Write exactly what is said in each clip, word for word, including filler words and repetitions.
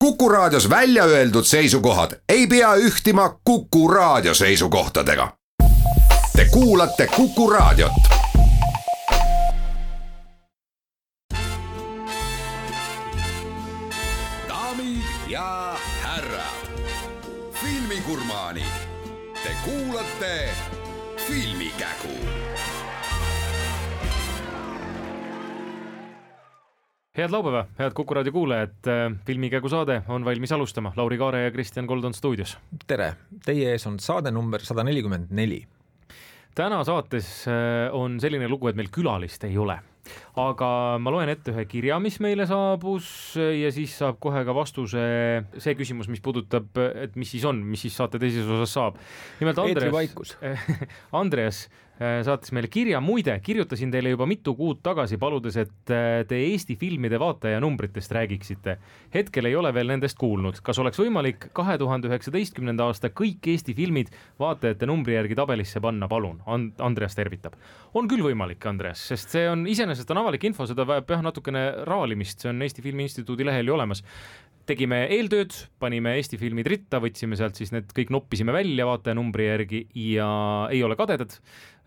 Kuku Raadios välja öeldud seisukohad ei pea ühtima Kuku Raadio seisukohtadega. Te kuulate Kuku Raadiot. Daamid ja härrad, filmigurmaanid, te kuulate Filmikägu. Head laupäeva, head Kuku Raadio kuulajad, Filmikägu saade on valmis alustama. Lauri Kaare ja Kristjan Kold on stuudios. Tere, teie ees on saade number sada nelikümmend neli. Täna saates on selline lugu, et meil külalist ei ole. Aga ma loen ette ühe kirja, mis meile saabus ja siis saab kohe ka vastuse see küsimus, mis puudutab, et mis siis on, mis siis saate teises osas saab. Nimelt Andreas, Andreas saatis meile kirja, muide, kirjutasin teile juba mitu kuud tagasi paludes, et te Eesti filmide vaataja numbritest räägiksite. Hetkel ei ole veel nendest kuulnud. Kas oleks võimalik kahe tuhande üheksateistkümnenda aasta kõik Eesti filmid vaatajate numbri järgi tabelisse panna, palun? Andreas tervitab. On küll võimalik, Andreas, sest see on iseenesest on avalik info, seda vajab jah natukene raalimist, see on Eesti Filmi Instituudi lehel ju olemas. Tegime eeltööd, panime Eesti filmid ritta, võtsime sealt siis need kõik noppisime välja vaataja numbri järgi ja ei ole kadedad.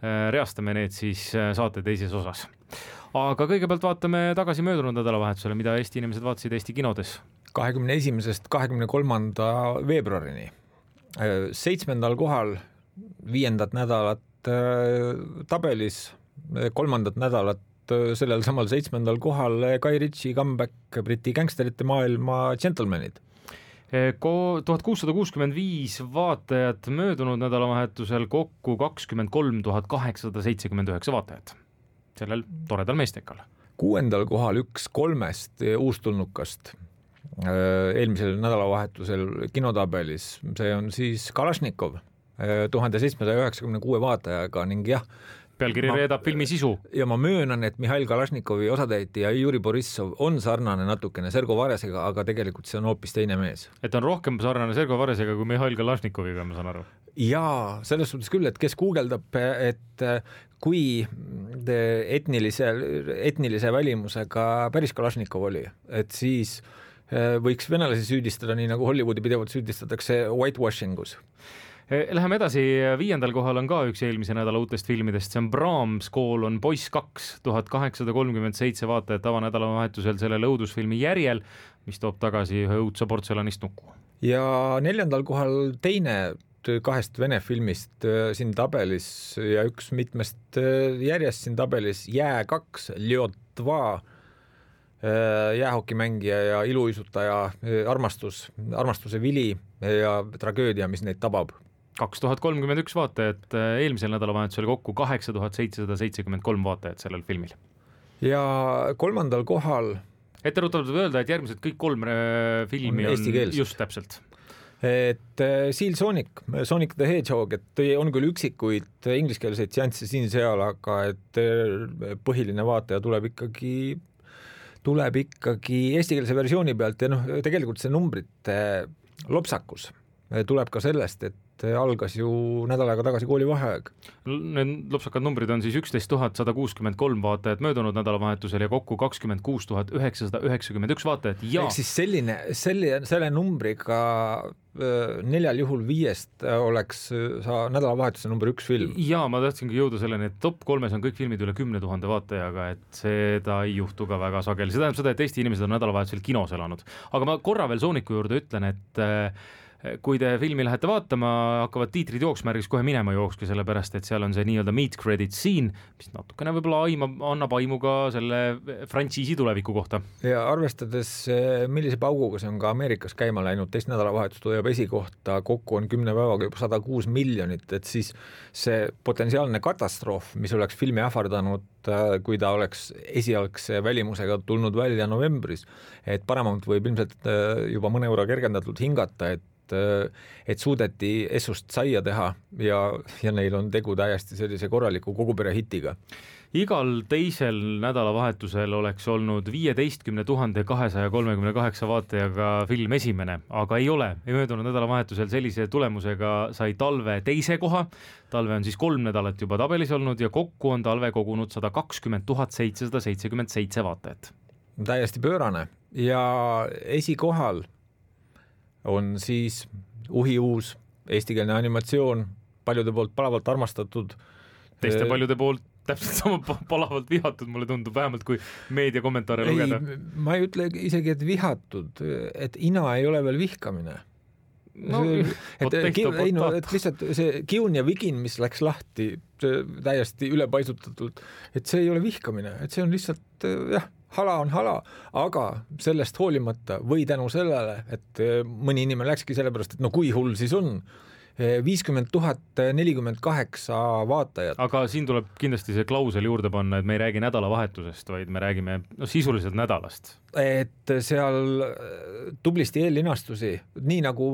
Reastame need siis saate teises osas. Aga kõigepealt vaatame tagasi möödunud nädalavahetusele, mida Eesti inimesed vaatasid Eesti kinodes. kahekümne esimesest kahekümne kolmanda veebruarini. Seitsmendal kohal viiendat nädalat tabelis, kolmandat nädalat sellel samal seitsmendal kohal Guy Ritchie comeback Briti gangsterite maailma Gentlemanid. tuhat kuussada kuuskümmend viis vaatajat möödunud nädalavahetusel, kokku kakskümmend kolm tuhat kaheksasada seitsekümmend üheksa vaatajat sellel toredal meestekal. Kuuendal kohal üks kolmest uustulnukast eelmisel nädalavahetusel kinotabelis, see on siis Kalašnikov tuhande seitsmesaja üheksakümne kuue vaatajaga ning jah, pealkiri reedab filmi sisu. Ja ma möönan, et Mihhail Kalašnikovi osatäitja Juri Borissov on sarnane natukene Sergo Varesega, aga tegelikult see on hoopis teine mees. Et on rohkem sarnane Sergo Varesega kui Mihhail Kalašnikoviga, ma saan aru. Jaa, selles suhtes küll, et kes guugeldab, et kui etnilise, etnilise välimusega päris Kalašnikov oli, et siis võiks venelasi süüdistada, nii nagu Hollywoodi pidevalt süüdistatakse whitewashingus. Läheme edasi, viiendal kohal on ka üks eelmise nädala uutest filmidest, see on Brahms kool on poiss kaks, tuhat kaheksasada kolmkümmend seitse vaatajat avanädala vahetusel selle õudusfilmi järjel, mis toob tagasi ühe õudsa portselanist nuku. Ja neljandal kohal teine kahest vene filmist siin tabelis ja üks mitmest järjest siin tabelis Jää kaks, Ljotva, jäähokimängija ja iluisutaja armastus, armastuse vili ja tragöödia, mis neid tabab. kaks tuhat kolmkümmend üks vaatajat, eelmisel nädalavahetusel kokku kaheksa tuhat seitsesada seitsekümmend kolm vaatajat sellel filmil. Ja kolmandal kohal etteruttavalt öelda, et järgmised kõik kolm filmi on, on just täpselt. Et Seal Sonic, Sonic the Hedgehog, et on küll üksikuid ingliskeelseid seansse siin seal, aga et põhiline vaataja tuleb ikkagi tuleb ikkagi eestikeelse versiooni pealt ja noh, tegelikult see numbrite lopsakus tuleb ka sellest, et algas ju nädal aega tagasi koolivaheaeg. Need lopsakad numbrid on siis üksteist tuhat sada kuuskümmend kolm vaatajat möödunud nädalavahetusel ja kokku kakskümmend kuus tuhat üheksasada üheksakümmend üks vaatajat. Ja ehk siis selline, selle, selle numbriga neljal juhul viiest oleks sa nädalavahetuse number üks film. Ja ma tahtsingi jõuda selleni, et top kolmes on kõik filmid üle kümne tuhande vaatajaga, et seda ei juhtu ka väga sageli. See tähendab seda, et Eesti inimesed on nädalavahetusel kinos elanud. Aga ma korra veel Sooniku juurde ütlen, et kui te filmi lähete vaatama, hakkavad tiitrid jooksmärgis kohe minema jookske, sellepärast, et seal on see nii-öelda meet credit scene, mis natukene võib-olla aima, annab aimu ka selle frantsiisi tuleviku kohta. Ja arvestades, millise pauguga see on ka Ameerikas käima läinud, teist nädalavahetust hoiab esikohta, kokku on kümne päevaga juba sada kuus miljonit, et siis see potentsiaalne katastroof, mis oleks filmi ähvardanud, kui ta oleks esialgse välimusega tulnud välja novembris, et Paramount võib ilmselt juba mõne euro kergendatult hingata, et et suudeti Essust saia teha ja, ja neil on tegu täiesti sellise korraliku kogupere hitiga. Igal teisel nädalavahetusel oleks olnud viieteistkümne tuhande kahesaja kolmekümne kaheksa vaatajaga film esimene, aga ei ole. Möödunud nädalavahetusel sellise tulemusega sai Talve teise koha. Talve on siis kolm nädalat juba tabelis olnud ja kokku on Talve kogunud sada kakskümmend tuhat seitsesada seitsekümmend seitse vaatajat. Täiesti pöörane ja esikohal on siis uhiuus eestikeelne animatsioon, paljude poolt palavalt armastatud. Teiste paljude poolt täpselt sama palavalt vihatud, mulle tundub, vähemalt kui meediakommentaare lugeda. Ma ei ütle isegi, et vihatud, et ina ei ole veel vihkamine. No, see, et, ei, no, et lihtsalt see kiun ja vigin, mis läks lahti täiesti ülepaisutatult, et see ei ole vihkamine, et see on lihtsalt, jah, hala on hala, aga sellest hoolimata või tänu sellele, et mõni inimene läkski sellepärast, et no kui hull siis on, viiskümmend tuhat nelikümmend kaheksa vaatajat. Aga siin tuleb kindlasti see klausel juurde panna, et me ei räägi nädalavahetusest, vaid me räägime no, sisuliselt nädalast. Et seal tublisti eellinastusi, nii nagu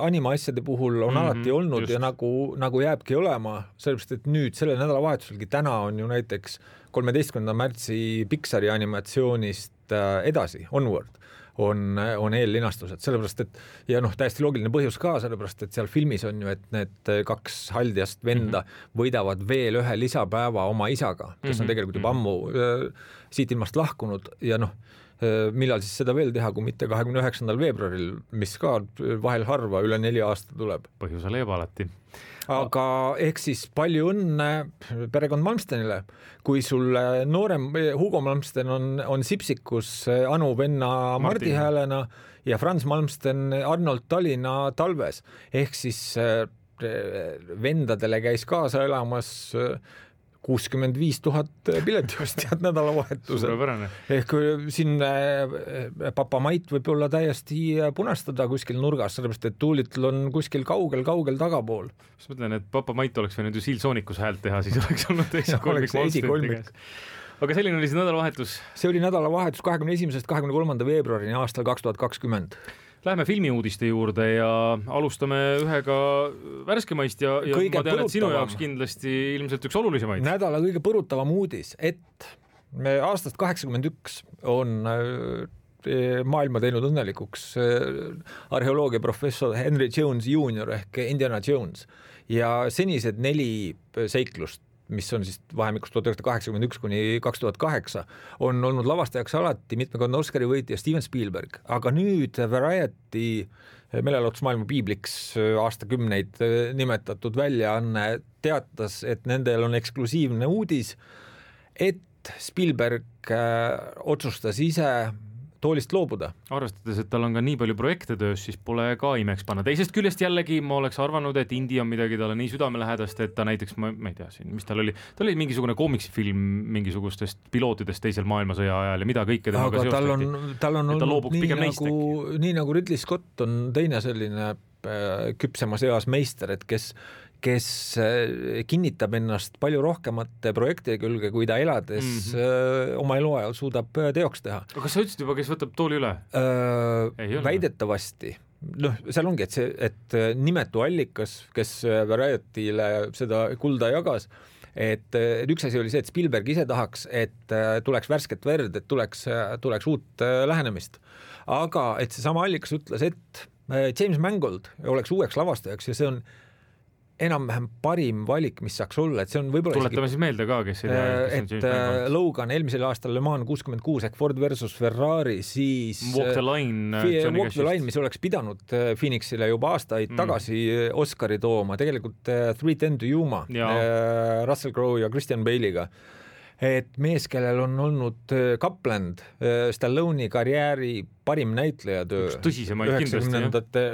animaasjade puhul on mm-hmm, alati olnud just. Ja nagu, nagu jääbki olema, sellepärast, et nüüd selle nädalavahetuselgi täna on ju näiteks kolmeteistkümnenda märtsi Pixari animatsioonist edasi, Onward. on, on eellinastused, sellepärast et ja noh, täiesti loogiline põhjus ka, sellepärast et seal filmis on ju, et need kaks haldjast venda mm-hmm. võidavad veel ühe lisapäeva oma isaga, kes mm-hmm. on tegelikult juba ammu äh, siit ilmast lahkunud ja noh, äh, millal siis seda veel teha, kui mitte kahekümne üheksandal veebruaril, mis ka vahel harva üle neli aasta tuleb. Põhjuse leiab alati. Aga ehk siis palju õnne perekond Malmstenile, kui sul noorem Hugo Malmsten on, on Sipsikus Anu venna Mardi häälena ja Franz Malmsten Arnold Tallinna Talves. Ehk siis vendadele käis kaasa elamas kuuskümmend viis tuhat piletiostjad nädalavahetusel. Ehk siin Papa Mait võib olla täiesti punastada kuskil nurgas, sellepärast et Tuulitl on kuskil kaugel-kaugel tagapool. Siis mõtlen, et Papa Mait oleks võinud ju Siilsoonikus häält teha, siis oleks olnud esikolmik. Aga selline oli see nädalavahetus? See oli nädalavahetus kahekümne esimesest kahekümne kolmanda veebruarini aastal kaks tuhat kakskümmend. Läheme filmiuudiste juurde ja alustame ühega värskemaist ja, ja ma tean, et sinu jaoks kindlasti ilmselt üks olulisemaid. Nädala kõige põrutavam uudis, et me aastast kaheksakümmend üks on maailma teinud õnnelikuks arheoloogia professor Henry Jones juunior ehk Indiana Jones ja senised neli seiklust, mis on siis vahemikus tuhat üheksasada kaheksakümmend üks kuni kaks tuhat kaheksa, on olnud lavastajaks alati mitmekordne Oscari võitja Steven Spielberg, aga nüüd Variety meelelahutusmaailma piibliks aastakümneid nimetatud väljaanne teatas, et nendel on eksklusiivne uudis, et Spielberg otsustas ise toolist loobuda. Arvestades, et tal on ka nii palju projekte töös, siis pole ka imeks panna. Teisest küljest jällegi ma oleks arvanud, et Indi on midagi talle nii südamelähedast, et ta näiteks, ma, ma ei tea siin, mis tal oli, tal oli mingisugune koomiksifilm mingisugustest pilootidest teisel maailmasõja ajal ja mida kõike temaga seostati. Tal on, tal on olnud nii nagu, nii nagu Ridley Scott on teine selline küpsemas eas meister, et kes kes kinnitab ennast palju rohkemate projektide külge, kui ta elades mm-hmm. oma eluajal suudab teoks teha. Aga kas sa ütlesid juba, kes võtab tooli üle? Äh, väidetavasti. Noh, seal ongi, et, see, et nimetu allikas, kes Variety'le seda kulda jagas, et üks asi oli see, et Spielberg ise tahaks, et tuleks värsket verd, et tuleks, tuleks uut lähenemist. Aga et see sama allikas ütles, et James Mangold oleks uueks lavastajaks ja see on enam-vähem parim valik, mis saaks olla, et see on võib-olla tuletame isegi, siis meelde ka, kes ei tea, kes et on Logan eelmisel aastal Le Mans kuuskümmend kuus ehk Ford versus Ferrari, siis Walk the Line, Walk the Line, mis oleks pidanud Phoenixile juba aastaid mm. tagasi Oscari tooma, tegelikult Three Ten to Yuma, Russell Crowe ja Christian Bale'iga. Et mees, kellel on olnud Kapland, Stallone'i karjääri parim näitlejatöö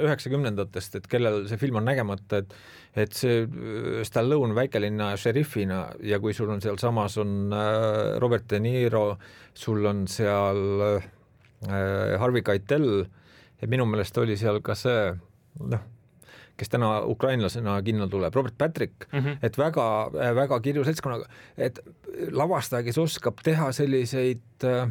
üheksakümnendatest, et kellel see film on nägemata, et, et see Stallone väikelinna šerifina ja kui sul on seal samas on Robert De Niro, sul on seal Harvey Keitel ja minu meelest oli seal ka see, noh, kes täna ukrainlasena kinno tuleb, Robert Patrick, mm-hmm. et väga, väga kirju seltskonnaga, et lavastaja, kes oskab teha selliseid äh,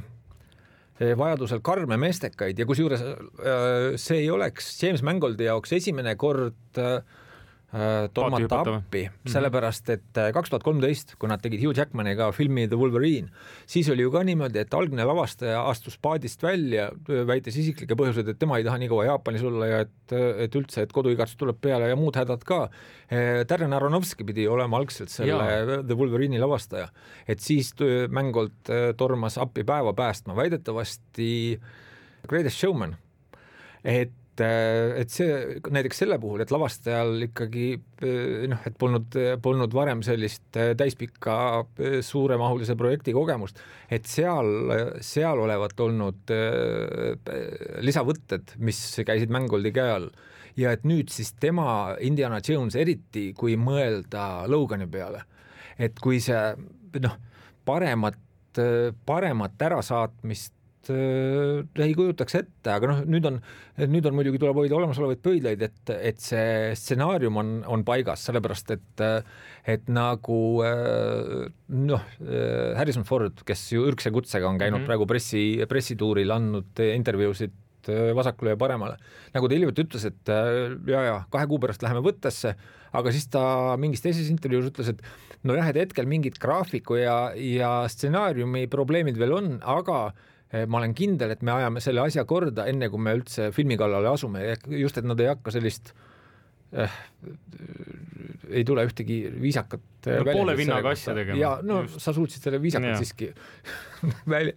vajadusel karme meestekaid ja kusjuures äh, see ei oleks James Mangoldi jaoks esimene kord äh, tormata appi, sellepärast et kaks tuhat kolmteist, kui nad tegid Hugh Jackmaniga filmi The Wolverine, siis oli ju ka niimoodi, et algne lavastaja astus paadist välja, väites isiklike põhjused, et tema ei taha nii kaua Jaapanis olla ja et, et üldse, et koduigatsus tuleb peale ja muud hädad ka. Darren Aronofsky pidi olema algselt selle ja. The Wolverine'i lavastaja, et siis Mangold tormas appi päeva päästma, väidetavasti Greatest Showman, et et see näiteks selle puhul, et lavastajal ikkagi noh, et polnud, polnud varem sellist täispikka suuremahulise projekti kogemust, et seal, seal olevat olnud lisavõtted, mis käisid Mangoldi käe all ja et nüüd siis tema Indiana Jones eriti, kui mõelda Logani peale, et kui see noh, paremat, paremat ärasaatmist ei kujutaks ette, aga noh, nüüd on, nüüd on muidugi tuleb hoida olemasolevaid pöidlaid, et, et see stsenaarium on, on paigas, sellepärast et, et nagu noh, Harrison Ford, kes ju ürgse kutsega on käinud mm-hmm. praegu pressi, pressituuril andnud intervjuusid vasakule ja paremale. Nagu ta hiljuti ütles, et ja, ja kahe kuu pärast läheme võttesse, aga siis ta mingis teises intervjuus ütles, et no jah, et hetkel mingid graafiku ja, ja stsenaariumi probleemid veel on, aga ma olen kindel, et me ajame selle asja korda enne, kui me üldse filmi kallale asume. Just, et nad ei hakka sellist eh, ei tule ühtegi viisakat no, poole vinnaga asja tegema. Ja no just. Sa suutsid selle viisakat ja. Siiski väl,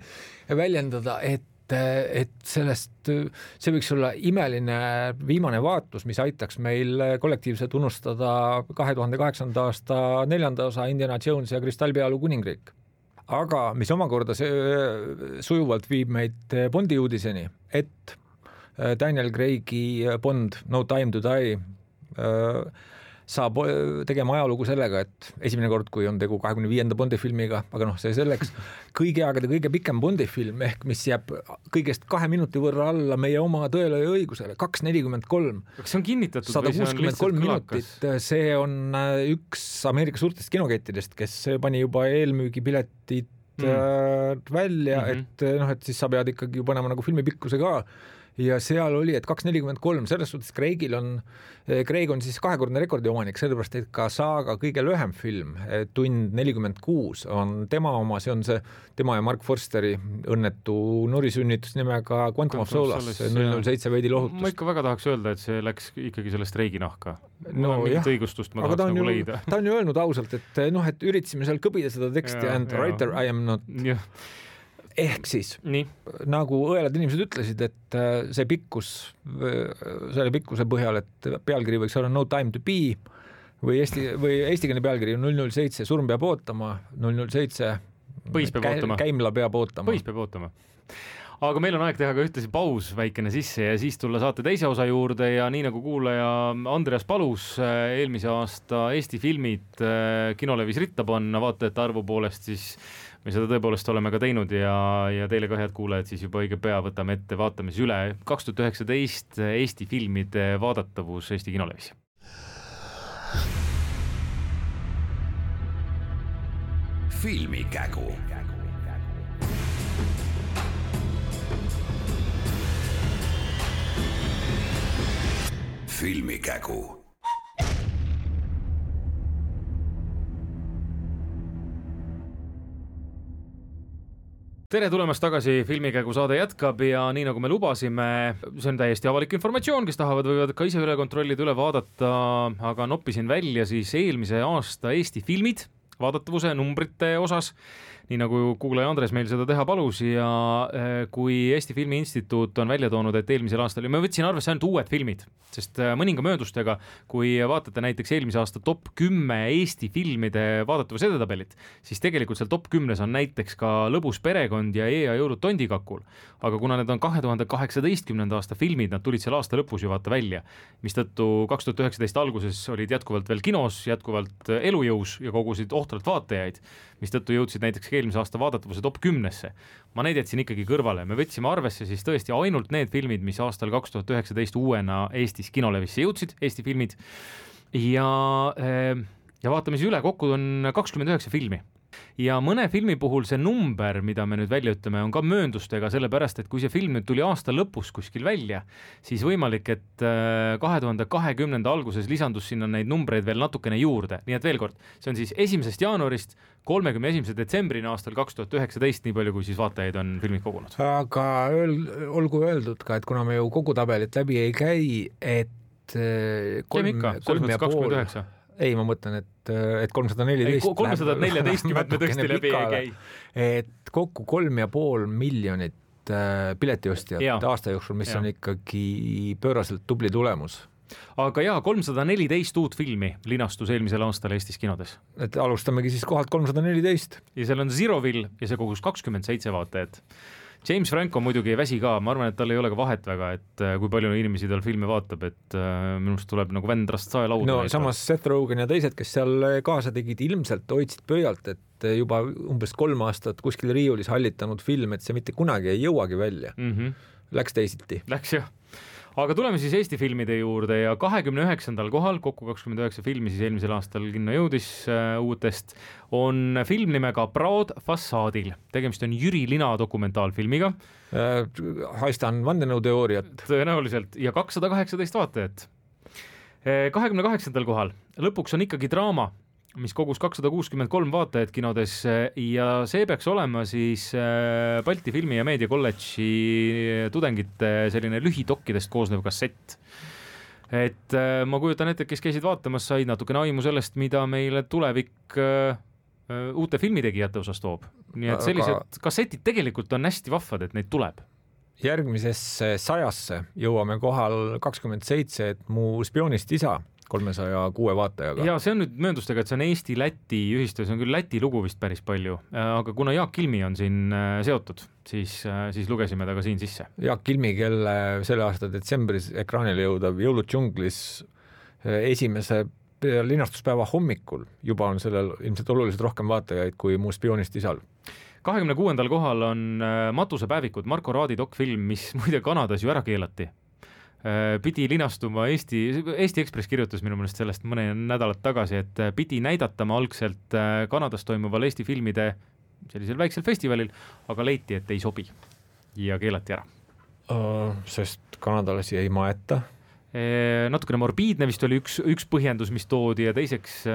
väljendada, et, et sellest, see võiks olla imeline viimane vaatus, mis aitaks meil kollektiivselt unustada kahe tuhande kaheksanda aasta neljanda osa Indiana Jones ja Kristallpealu kuningriik. Aga mis omakorda see sujuvalt viib meid Bondi uudiseni, et Daniel Craig'i Bond No Time to Die saab tegema ajalugu sellega, et esimene kord, kui on tegu kahekümne viienda Bondi filmiga, aga noh, see selleks kõigi aegade kõige pikem Bondi film, ehk mis jääb kõigest kahe minuti võrra alla meie oma Tõele ja õigusele, kaks nelikümmend kolm. Kas see on kinnitatud sada kuuskümmend kolm minutit, see on üks Ameerika suurtest kinokettidest, kes pani juba eelmüügipiletid mm. välja, mm-hmm. et noh, et siis sa pead ikkagi panema nagu filmi pikkuse ka. Ja seal oli, et kaks nelikümmend kolm, selles suhtes Craigil on, Craig on siis kahekordne rekordi omanik, sellepärast, et ka saaga kõige lühem film, tund nelikümmend kuus on tema oma, see on see tema ja Mark Forsteri õnnetu norisünnitus nimega Quantum of Solace, null null seitse veidi lohutust. Ma ikka väga tahaks öelda, et see läks ikkagi sellest Craigi nahka. No, mingit õigustust ma tahaks nagu ju, leida. Ta on ju öelnud ausalt, et noh, et üritasime seal kõbida seda teksti ja, and ja. Writer I am not... Ja. Ehk siis, Nii. nagu õelad inimesed ütlesid, et see pikkus, selle pikkuse põhjal, et pealkiri võiks olla No Time to Be või eesti, või eestikeelne pealkiri null null seitse, surm peab ootama, null null seitse, Põis peab ootama. Käimla peab ootama. Põis peab ootama. Aga meil on aeg teha ka ühtlasi paus väikene sisse ja siis tulla saate teise osa juurde ja nii nagu kuulaja Andreas palus eelmise aasta Eesti filmid Kinolevis ritta panna vaatajate arvu poolest, siis me seda tõepoolest oleme ka teinud ja, ja teile ka head kuulajad siis juba õige pea võtame ette, vaatame siis üle kaks tuhat üheksateist Eesti filmide vaadatavus Eesti Kinolevis. Filmikägu. Filmikägu. Tere tulemast tagasi, Filmikägu saade jätkab ja nii nagu me lubasime, see on täiesti avalik informatsioon, kes tahavad võivad ka ise üle kontrollida, üle vaadata, aga noppisin välja siis eelmise aasta Eesti filmid vaadatavuse numbrite osas, nii nagu kuulaja Andres meil seda teha palus ja kui Eesti Filmi Instituut on välja toonud, et eelmisel aastal, ja ma võtsin arvesse ainult uued filmid, sest mõninga möödustega, kui vaatate näiteks eelmise aasta top kümme Eesti filmide vaadatavuse edetabelit, siis tegelikult seal top kümnes on näiteks ka Lõbus perekond ja Eea jõulud tondikakul, aga kuna need on kahe tuhande kaheksateistkümnenda aasta filmid, nad tulid seal aasta lõpus ju vaata välja, mistõttu kaks tuhat üheksateist alguses olid jätkuvalt veel kinos, jätkuvalt elujõus ja kogusid ohtralt vaatajaid, mistõttu jõudsid näiteks eelmise aasta vaadatavuse top kümnesse. Ma neid jätsin ikkagi kõrvale. Me võtsime arvesse siis tõesti ainult need filmid, mis aastal kaks tuhat üheksateist uuena Eestis Kinolevisse jõudsid, Eesti filmid. Ja, ja vaatame siis üle, kokku on kakskümmend üheksa filmi. Ja mõne filmi puhul see number, mida me nüüd välja ütleme, on ka mööndustega, sellepärast, et kui see film nüüd tuli aasta lõpus kuskil välja, siis võimalik, et kahe tuhande kahekümnenda alguses lisandus sinna neid numbreid veel natukene juurde. Nii et veel kord, see on siis esimesest jaanuarist kolmekümne esimese detsembrina aastal kaks tuhat üheksateist, nii palju kui siis vaatajaid on filmid kogunud. Aga öel, olgu öeldud ka, et kuna me ju kogu tabelit läbi ei käi, et kolm, ikka, kolm ja pool... Ei, ma mõtlen, et, et kolmsada neliteist kolmsada neliteist me tõesti läbi ei käi. Et kokku kolm ja pool miljonit piletiostjat ja. aasta jooksul, mis ja. on ikkagi pööraselt tubli tulemus. Aga jaa, kolmsada neliteist uut filmi linastus eelmisel aastal Eestis kinodes. Et alustamegi siis kohalt kolmsada neliteist. Ja seal on Zeroville ja see kogus kakskümmend seitse vaatajat. James Franco muidugi ei väsi ka, ma arvan, et tal ei ole ka vahet väga, et kui palju inimesi tal filme vaatab, et minust tuleb nagu vendrast sae lauda. No samas Seth Rogen ja teised, kes seal kaasa tegid, ilmselt hoidsid pöialt, et juba umbes kolm aastat kuskil riiulis hallitanud film, et see mitte kunagi ei jõuagi välja. Mm-hmm. Läks teisiti. Läks jah. Aga tuleme siis Eesti filmide juurde ja kahekümne üheksandal kohal, kokku kakskümmend üheksa filmi siis eelmisel aastal kinno jõudis äh, uutest, on film nimega Proud Fassaadil. Tegemist on Jüri Lina dokumentaalfilmiga. Äh, haistan vandenõuteooriat. Tõenäoliselt ja kakssada kaheksateist vaatajat. kahekümne kaheksandal kohal lõpuks on ikkagi draama, mis kogus kakssada kuuskümmend kolm vaatajat kinodes ja see peaks olema siis Balti Filmi- ja Meediakolledži tudengite selline lühidokkidest koosnev kassett. Et ma kujutan ette, kes käisid vaatamas, said natukene aimu sellest, mida meile tulevik uute filmitegijate osas toob. Nii et sellised kassetid tegelikult on hästi vahvad, et neid tuleb. Järgmisesse sajasse jõuame kohal kakskümmend seitse, et mu spioonist isa kolmesaja kuue vaatajaga. Ja see on nüüd mööndustega, et see on Eesti-Läti ühistöö, see on küll Läti lugu vist päris palju, aga kuna Jaak Kilmi on siin seotud, siis, siis lugesime ta ka siin sisse. Jaak Kilmi, kelle selle aasta detsembris ekraanile jõudav Jõulud džunglis esimese linastuspäeva hommikul juba on sellel ilmselt oluliselt rohkem vaatajaid kui mu spioonist isal. kahekümne kuuendal kohal on Matusepäevikud, Marko Raadi dokfilm, mis muide Kanadas ju ära keelati. Pidi linastuma Eesti, Eesti Ekspress kirjutas minu meelest sellest mõne nädalat tagasi, et pidi näidatama algselt Kanadas toimuval Eesti filmide sellisel väiksel festivalil, aga leiti, et ei sobi ja keelati ära. Uh, sest kanadalasi ei maeta. E, natukene morbiidne vist oli üks, üks põhjendus, mis toodi ja teiseks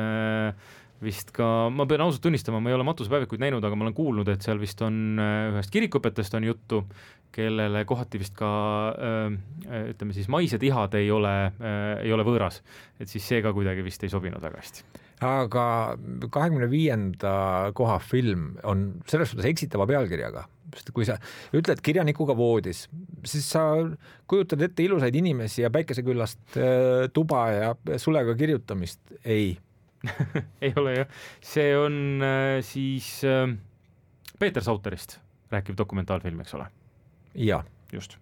vist ka, ma pean ausalt tunnistama, ma ei ole Matusepäevikuid näinud, aga ma olen kuulnud, et seal vist on ühest kirikupetest on juttu, kellele kohati vist ka ütleme siis maised ihad ei ole, ei ole võõras, et siis see ka kuidagi vist ei sobinud väga hästi. Aga kahekümne viienda koha film on selles suhtes eksitava pealkirjaga, sest kui sa ütled kirjanikuga voodis, siis sa kujutad ette ilusaid inimesi ja päikeseküllast tuba ja sulega kirjutamist. Ei. ei ole jah. See on äh, siis äh, Peeter Sauterist rääkiv dokumentaalfilm, eks ole? Ja. Just.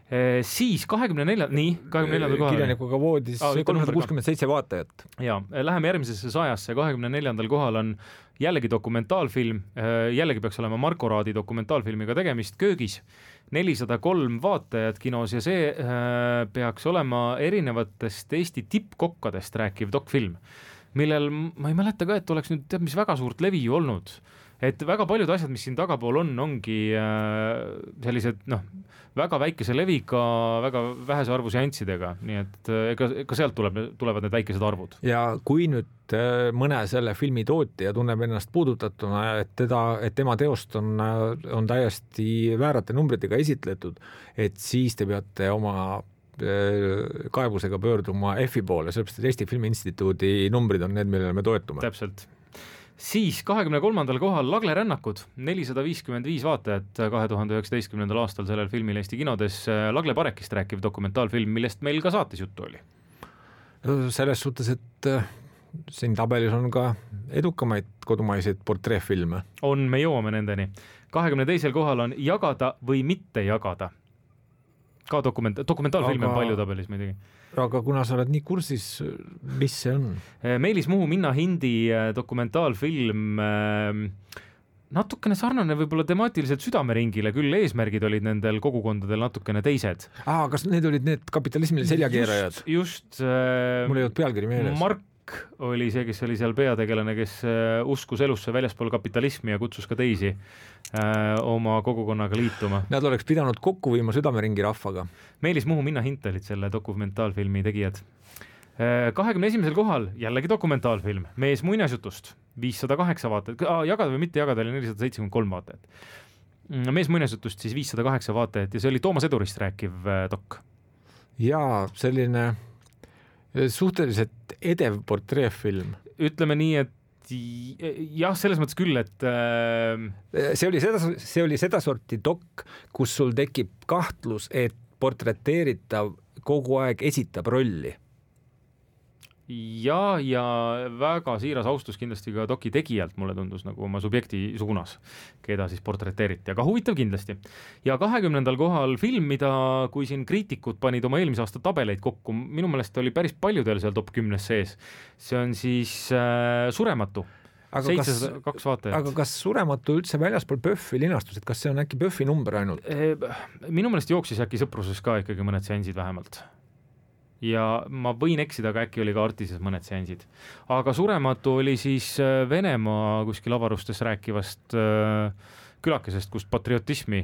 E, siis kahekümne nelja, nii, kahekümne neljandal kohal. Kirjanikuga voodis ah, kolmsada kuuskümmend seitse vaatajat. Ja, läheme järgmisesse sajasse, kahekümne neljandal kohal on jällegi dokumentaalfilm, jällegi peaks olema Marko Raadi dokumentaalfilmiga tegemist Köögis, nelisada kolm vaatajat kinos ja see äh, peaks olema erinevatest Eesti tippkokkadest rääkiv dokfilm, millel ma ei mäleta ka, et oleks nüüd teab, mis väga suurt levi olnud. Et väga paljud asjad, mis siin tagapool on, ongi äh, sellised noh, väga väikese leviga, väga vähese arvu seanssidega, nii et ega, ega sealt tuleb, tulevad need väikesed arvud. Ja kui nüüd mõne selle filmi tootja tunneb ennast puudutatuna, et, teda, et tema teost on, on täiesti väärate numbritega esitletud, et siis te peate oma kaebusega pöörduma F I poole, sellepärast et Eesti Filmi Instituudi numbrid on need, millele me toetume. Täpselt. Siis kahekümne kolmandal kohal Lagle rännakud, nelisada viiskümmend viis vaatajat kahe tuhande üheksateistkümnendal aastal sellel filmil Eesti kinodes. Lagle Parekist rääkiv dokumentaalfilm, millest meil ka saates juttu oli. Selles suhtes, et siin tabelis on ka edukamaid kodumaiseid portreefilme. On, me jõuame nendeni. kahekümne teisel kohal on Jagada või mitte jagada. Ka dokument, dokumentaalfilm aga... on palju tabelis muidugi. Aga kuna sa oled nii kursis, mis see on? Meelis Muhu Minna Hindi dokumentaalfilm, natukene sarnane võib-olla temaatiliselt Südameringile, küll eesmärgid olid nendel kogukondadel natukene teised. Aa, kas need olid need kapitalismile seljakeerajad? Just, just äh, mul ei olnud pealkiri meeles. Mark oli see, kes oli seal peategelane, kes uskus elusse väljaspool kapitalismi ja kutsus ka teisi äh, oma kogukonnaga liituma. Nad oleks pidanud kokku viima Südameringi rahvaga. Meelis Muhu Minna Hint olid selle dokumentaalfilmi tegijad. kahekümne esimesel kohal jällegi dokumentaalfilm Mees muinasjutust, viissada kaheksa vaatajat, jagada või mitte jagada oli nelisada seitsekümmend kolm vaatajat. Mees muinasjutust siis viissada kaheksa vaatajat ja see oli Toomas Edurist rääkiv dok. Jaa, selline suhteliselt edev portreefilm. Ütleme nii, et jah, selles mõttes küll, et äh... see oli seda, see oli seda sorti dok, kus sul tekib kahtlus, et portreteeritav kogu aeg esitab rolli. Ja, ja väga siiras austus kindlasti ka doki tegijalt, mulle tundus nagu oma subjekti suunas, keda siis portreteeriti, aga huvitav kindlasti. Ja kahekümnendal kohal film, mida kui siin kriitikud panid oma eelmise aasta tabeleid kokku, minu meelest oli päris paljudel seal top kümnes sees. See on siis äh, Surematu. seitsesada kaks vaatajat. Aga kas Surematu üldse väljaspool Pöffi linastus, et kas see on äkki Pöffi number ainult? Minu meelest jooksis äkki Sõpruses ka ikkagi mõned seansid vähemalt. Ja ma võin eksida, aga äkki oli ka Artises mõned seansid. Aga Surematu oli siis Venemaa kuskil avarustes rääkivast külakesest, kust patriotismi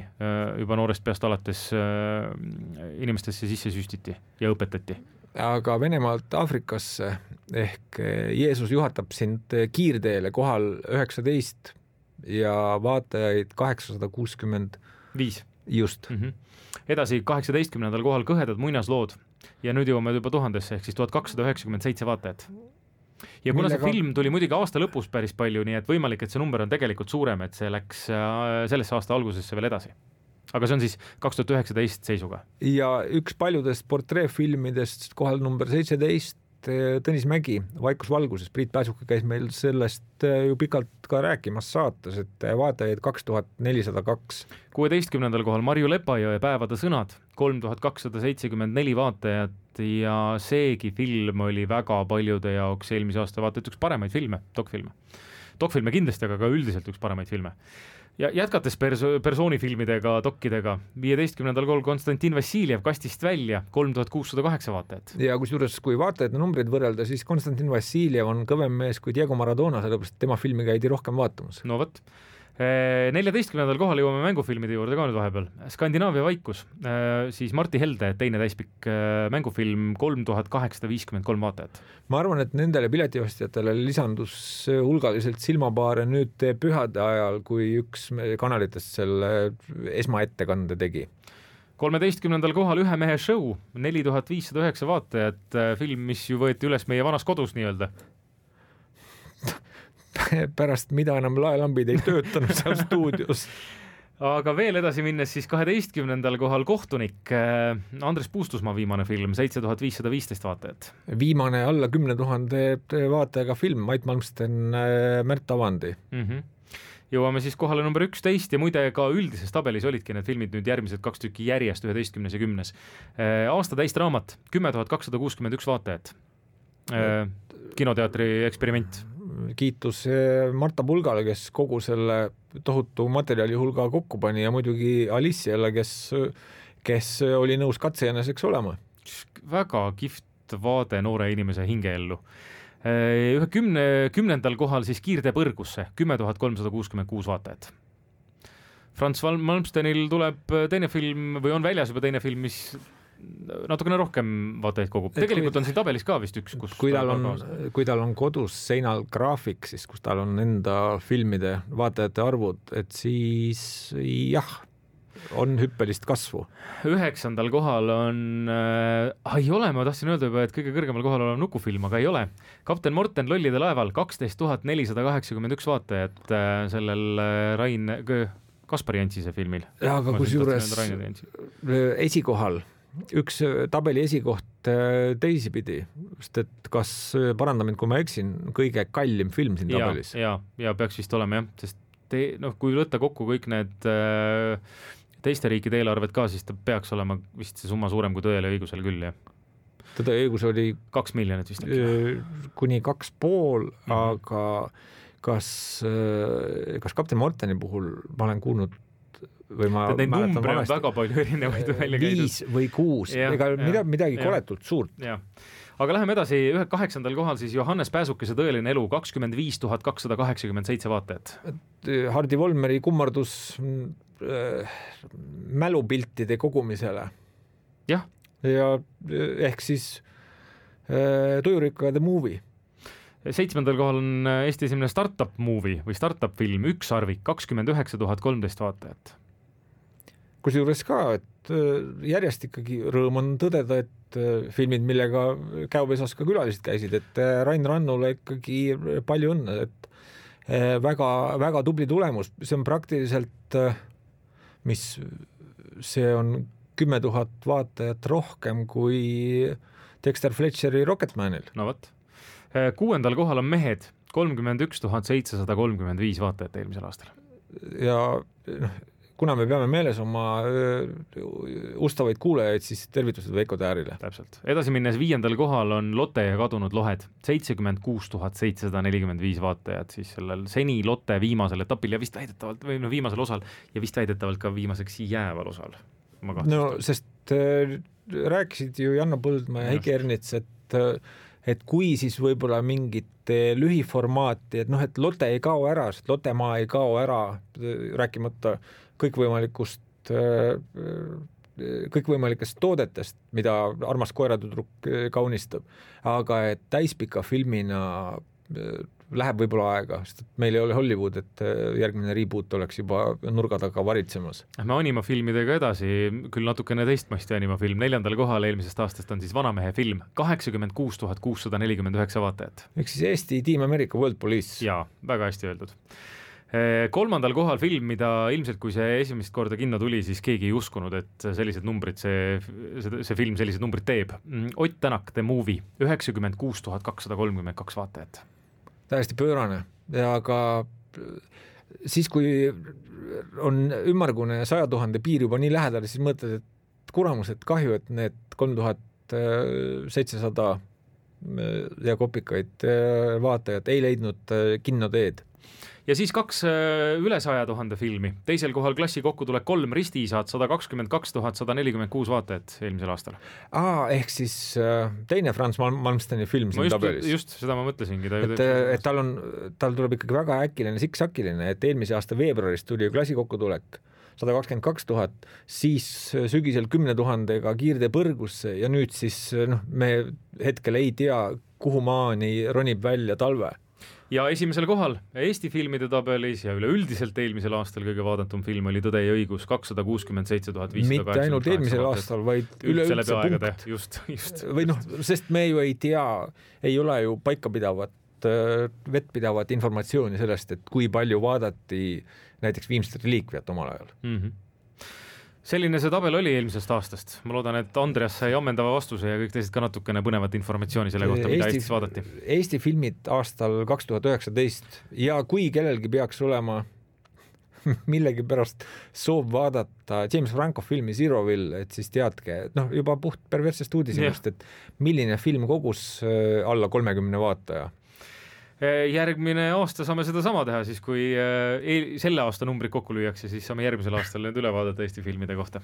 juba noorest peast alates inimestesse sisse süstiti ja õpetati. Aga Venemaalt Afrikasse ehk Jeesus juhatab sind kiirteele kohal üheksateist ja vaatajaid kaheksasada kuuskümmend viis. Just. Mm-hmm. Edasi kaheksateistkümnendal kohal Kõhedad muinaslood. Ja nüüd jõuame juba tuhandesse, ehk siis tuhat kakssada üheksakümmend seitse vaatajat. Ja kuna see film tuli muidugi aasta lõpus päris palju, nii et võimalik, et see number on tegelikult suurem, et see läks sellesse aasta algusesse veel edasi. Aga see on siis kaks tuhat üheksateist seisuga. Ja üks paljudest portreefilmidest kohal number seitseteist, Tõnis Mägi, Vaikus valguses, Priit Pääsuke käis meil sellest ju pikalt ka rääkimas saates, et vaatajaid kaks tuhat nelisada kaks. kuueteistkümnendal kohal Marju Lepajõe Päevade sõnad, kolm tuhat kakssada seitsekümmend neli vaatajat ja seegi film oli väga paljude jaoks eelmise aasta vaatajad üks paremaid filme, dokfilme. Dokfilme kindlasti, aga ka üldiselt üks paremaid filme. Ja jätkates perso- persoonifilmidega, dokkidega, viieteistkümnendal kohal Konstantin Vassiljev Kastist välja, kolm tuhat kuussada kaheksa vaatajat. Ja kusjuures, kui vaatajate numbrid võrrelda, siis Konstantin Vassiljev on kõvem mees kui Diego Maradona, sellepärast tema filmi käidi rohkem vaatamas. No võt. neljateistkümnendal kohal jõuame mängufilmide juurde ka nüüd vahepeal. Skandinaavia vaikus, siis Martti Helde teine täispikk mängufilm, kolm tuhat kaheksasada viiskümmend kolm vaatajat. Ma arvan, et nendele piletiostjatele lisandus hulgaliselt silmapaare nüüd pühade ajal, kui üks kanalitest selle esmaettekande tegi. kolmeteistkümnendal kohal Ühe mehe show, neli tuhat viissada üheksa vaatajat, film, mis ju võeti üles meie vanas kodus nii-öelda. Pärast mida enam laelambid ei töötanud seal stuudios. Aga veel edasi minnes siis kaheteistkümnendal kohal Kohtunik, Andres Puustusmaa viimane film, seitse tuhat viissada viisteist vaatajat. Viimane alla kümne tuhande vaatajaga film, Mait Malmsten, Märt Avandi. Mm-hmm. Jõuame siis kohale number üksteist ja muide ka üldises tabelis olidki need filmid nüüd järgmised kaks tükki järjest, üheteistkümnes ja kümnes. Aasta täist raamat, kümme tuhat kakssada kuuskümmend üks vaatajat. Kinoteatri eksperiment. Kiitus Marta Pulgale, kes kogu selle tohutu materjali hulga kokku pani ja muidugi Aliciale, kes, kes oli nõus katsejäneseks olema. Väga kihvt vaade noore inimese hingeellu. Ühe kümne, kümnendal kohal siis Kiirtee põrgusse, kümme tuhat kolmsada kuuskümmend kuus vaatajat. Frans Malmstenil tuleb teine film või on väljas juba teine film, mis natukene rohkem vaatajaid kogub. Tegelikult on siin tabelis ka vist üks, kus kui tal on, kui tal on kodus seinal graafik, siis kus tal on enda filmide vaatajate arvud, et siis jah, on hüppelist kasvu. Üheksandal kohal on äh, ei ole, ma tahtsin öelda juba, et kõige kõrgemal kohal olev nukufilm, aga ei ole. Kapten Morten Lollide laeval, kaksteist tuhat nelisada kaheksakümmend üks vaatajat äh, sellel äh, Rain Kaspari Jantsise filmil. Ja, aga kus juures esikohal üks tabeli esikoht teisipidi, sest et kas parandamine, kui ma eksin, kõige kallim film siin tabelis. Ja, ja, ja peaks vist olema jah, sest te, noh, kui võtta kokku kõik need äh, teiste riikide eelarved ka, siis ta peaks olema vist see summa suurem kui Tõele ja õigusel küll, jah. Tõde ja õigus oli kaks miljonit vist. Kuni kaks pool, mm-hmm. aga kas, kas Kapten Morteni puhul ma olen kuulnud või ma Neid numbri on väga palju erinevaid välja käidud. Viis või kuus, ega mida, midagi ja. Koletult suurt. Ja. Aga läheme edasi, ühe kaheksandal kohal siis Johannes Pääsukese Tõeline elu, kakskümmend viis tuhat kakssada kaheksakümmend seitse vaatajat. Hardi Volmeri kummardus äh, mälupiltide kogumisele. Jah. Ja ehk siis äh, Tujurikka The Movie. Seitsmendal kohal on Eesti esimene startup movie või startup film, Üks arvik, kakskümmend üheksa tuhat kolmteist vaatajat. Kusjuures ka, et järjest ikkagi rõõm on tõdeda, et filmid, millega käopesas ka külalised käisid, et Rain Rannule ikkagi palju õnne, et väga, väga tubli tulemus, see on praktiliselt, mis see on kümme tuhat vaatajat rohkem kui Dexter Fletcheri Rocketmanil. No võt. Kuuendal kohal on Mehed, kolmkümmend üks tuhat seitsesada kolmkümmend viis vaatajat eelmisel aastal. Ja noh, kuna me peame meeles oma ustavaid kuulajaid, siis tervitused Veiko Täärile. Täpselt. Edasi minnes viiendal kohal on Lotte ja kadunud lohed, seitsekümmend kuus tuhat seitsesada nelikümmend viis vaatajat siis sellel seni Lotte viimasel etapil ja vist väidetavalt, või no viimasel osal ja vist väidetavalt ka viimaseks jääval osal. No, sest äh, rääkisid ju Janno Põldmaa ja Heiki Ernits, et, et kui siis võib-olla mingit lühiformaati, et noh, et Lotte ei kao ära, sest Lottemaa ei kao ära, rääkimata kõikvõimalikust, kõikvõimalikest toodetest, mida armas koeratudruk kaunistab, aga et täispika filmina läheb võib-olla aega, sest meil ei ole Hollywood, et järgmine reboot oleks juba nurga taga varitsemas. Me animafilmidega edasi, küll natukene teistmasti animafilm, neljandal kohal eelmisest aastast on siis Vanamehe film, kaheksakümmend kuus tuhat kuussada nelikümmend üheksa vaatajat. Ehk siis Eesti Team America World Police. Jaa, väga hästi öeldud. Kolmandal kohal film, mida ilmselt kui see esimest korda kinno tuli, siis keegi ei uskunud, et sellised numbrid, see, see, see film sellised numbrid teeb. Ott Tänak, The Movie, üheksakümmend kuus tuhat kakssada kolmkümmend kaks vaatajat. Täiesti pöörane ja ka siis, kui on ümmargune saja tuhande piir juba nii lähedal, siis mõtled, et kuramus, et kahju, et need kolm tuhat seitsesada ja kopikaid vaatajat ei leidnud kinnoteed. Ja siis kaks üle saja tuhande filmi. Teisel kohal klassi kokkutulek kolm ristiisad, sada kakskümmend kaks tuhat sada nelikümmend kuus vaatajat eelmisel aastal. Aa, ehk siis teine Frans Malmsteni film siin just, tabelis. Just, seda ma mõtlesingi. Ta et, et tal on, tal tuleb ikkagi väga äkiline, siksakiline, et eelmise aasta veebruaris tuli klassi kokkutulek sada kakskümmend kaks tuhat, siis sügisel kümne tuhandega kiirde põrgusse ja nüüd siis noh, me hetkel ei tea, kuhu maani ronib välja talve. Ja esimesel kohal Eesti filmide tabelis ja üleüldiselt eelmisel aastal kõige vaadatum film oli Tõde ja õigus, kakssada kuuskümmend seitse tuhat viissada kaheksakümmend kaheksa. Mitte ainult eelmisel aastal, vaid üleüldse punkt. Just, just. Või noh, sest me ju ei tea, ei ole ju paikapidavat, vettpidavat informatsiooni sellest, et kui palju vaadati näiteks Viimset reliikviat omal ajal. Mm-hmm. Selline see tabel oli eelmisest aastast. Ma loodan, et Andreas sai ammendava vastuse ja kõik teised ka natukene põnevat informatsiooni selle kohta, mida Eesti, Eestis vaadati. Eesti filmid aastal kaks tuhat üheksateist ja kui kellelgi peaks olema millegi pärast soov vaadata James Franco filmi Zeroville, et siis teadke, noh juba puht perverssest uudisest, et milline film kogus alla kolmekümne vaataja. Järgmine aasta saame seda sama teha, siis kui selle aasta numbrid kokku lüüakse, siis saame järgmisel aastal need üle vaadata Eesti filmide kohta.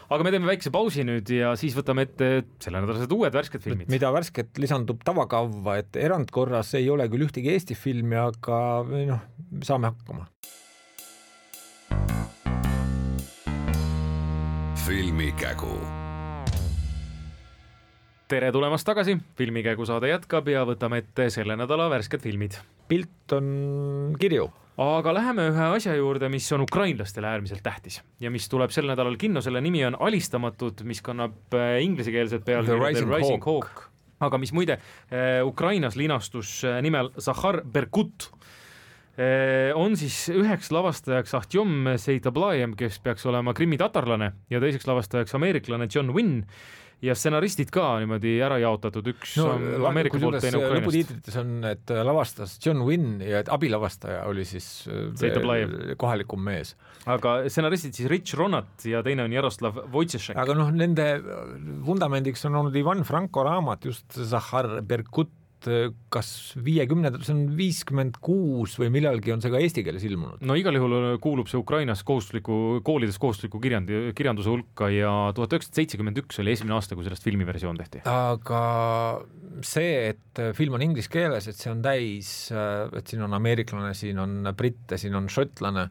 Aga me teeme väikse pausi nüüd ja siis võtame ette selle nädalased uued värsked filmid. Mida värsket lisandub tavakavva, et erandkorras ei ole küll ühtegi Eesti filmi, aga noh, saame hakkama. Filmikägu. Tere tulemast tagasi, Filmikägu saade jätkab ja võtame ette selle nädala värsked filmid. Pilt on kirju. Aga läheme ühe asja juurde, mis on ukrainlastele äärmiselt tähtis ja mis tuleb sel nädalal kinno, selle nimi on Alistamatud, mis kannab inglisekeelset peal The Rising, The Rising Hawk. Hawk. Aga mis muide Ukrainas linastus nimel Zakhar Berkut on siis üheks lavastajaks Ahtjom Seitablajem, kes peaks olema krimi-tatarlane ja teiseks lavastajaks ameeriklane John Wynn ja stsenaristid ka niimoodi ära jaotatud, üks no, Ameerika poolt, teine Ukrainast. Lõputiitrites on, et lavastas John Wynn ja et abilavastaja oli siis kohalikum mees. Aga stsenaristid siis Rich Ronat ja teine on Jaroslav Wojciechek. Aga noh, nende vundamendiks on olnud Ivan Franko raamat, just Zakhar Berkut, kas viiekümne, see on viiskümmend kuus või millalgi on see ka eesti keeles ilmunud? No igal juhul kuulub see Ukrainas kohustusliku, koolides kohustusliku kirjand, kirjanduse hulka ja tuhat üheksasada seitsekümmend üks oli esimene aasta, kui sellest filmiversioon tehti. Aga see, et film on inglise keeles, et see on täis, et siin on ameeriklane, siin on britte, siin on šotlane,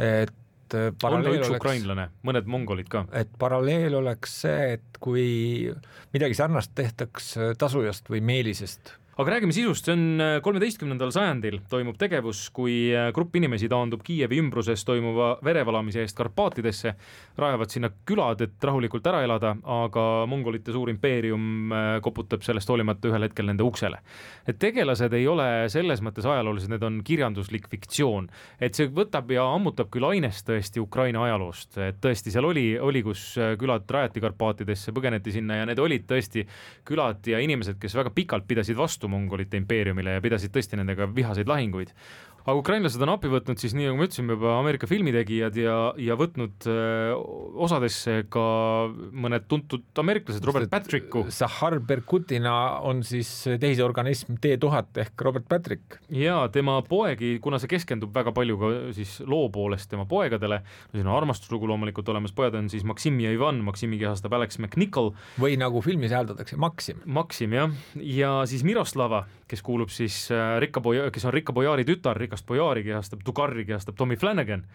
et on üks oleks, ukrainlane, mõned mongolid ka. Et paralleel oleks see, et kui midagi sarnast tehtaks Tasujast või Meelisest, aga räägime sisust, see on kolmeteistkümnendal sajandil toimub tegevus, kui grupp inimesi taandub Kiievi ümbruses toimuva verevalamise eest Karpaatidesse, rajavad sinna külad, et rahulikult ära elada, aga mongolite suur impeerium koputab sellest hoolimata ühel hetkel nende uksele. Et tegelased ei ole selles mõttes ajaloolised, need on kirjanduslik fiktsioon, et see võtab ja ammutab küll ainest tõesti Ukraina ajaloost, et tõesti seal oli, oli kus külad rajati Karpaatidesse, põgeneti sinna ja need olid tõesti külad ja inimesed, kes väga pikalt pidasid vastu mongolite impeeriumile ja pidasid tõesti nendega vihaseid lahinguid. Aga ukrainlased on appi võtnud siis nii, nagu me ütlesime juba Ameerika filmitegijad ja, ja võtnud öö, osadesse ka mõned tuntud ameeriklased, Robert Patricku. Zahar Berkutina on siis tehisorganism T tuhat ehk Robert Patrick. Ja tema poegi, kuna see keskendub väga palju ka siis loo poolest tema poegadele, siin on armastuslugu loomulikult olemas, pojad on siis Maksim ja Ivan, Maksimi kehastab Alex McNichol. Või nagu filmis hääldatakse, Maksim. Maksim, jah. Ja siis Miroslava, kes kuulub siis Rikka Boja, kes on Rikka Bojaari tütar, Rikast Bojaari kehastab, Tugarri kehastab Tommy Flanagan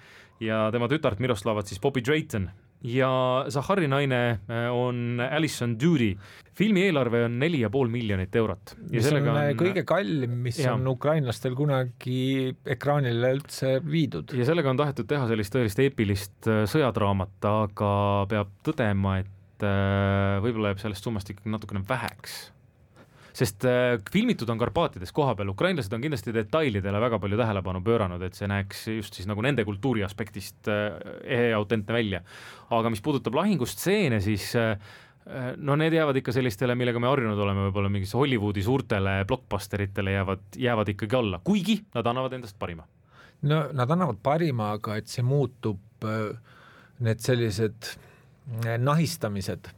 ja tema tütart Miroslavat siis Bobby Drayton ja Zahari naine on Alison Doody. Filmi eelarve on neli ja pool miljonit eurot. Ja mis on, on kõige kallim, mis ja. on ukrainlastel kunagi ekraanile üldse viidud. Ja sellega on tahetud teha sellist tõelist eepilist sõjadraamat, aga peab tõdema, et võib-olla jääb sellest summast ikkagi natukene väheks. Sest äh, filmitud on Karpaatides koha peal, ukrainlased on kindlasti detailidele väga palju tähelepanu pööranud, et see näeks just siis nagu nende kultuuri aspektist äh, ehe ja autentne välja. Aga mis puudutab lahingustseene, siis äh, no need jäävad ikka sellistele, millega me harjunud oleme, võib-olla mingis Hollywoodi suurtele blockbusteritele jäävad, jäävad ikkagi alla, kuigi nad annavad endast parima. No nad annavad parima, aga et see muutub, need sellised nahistamised,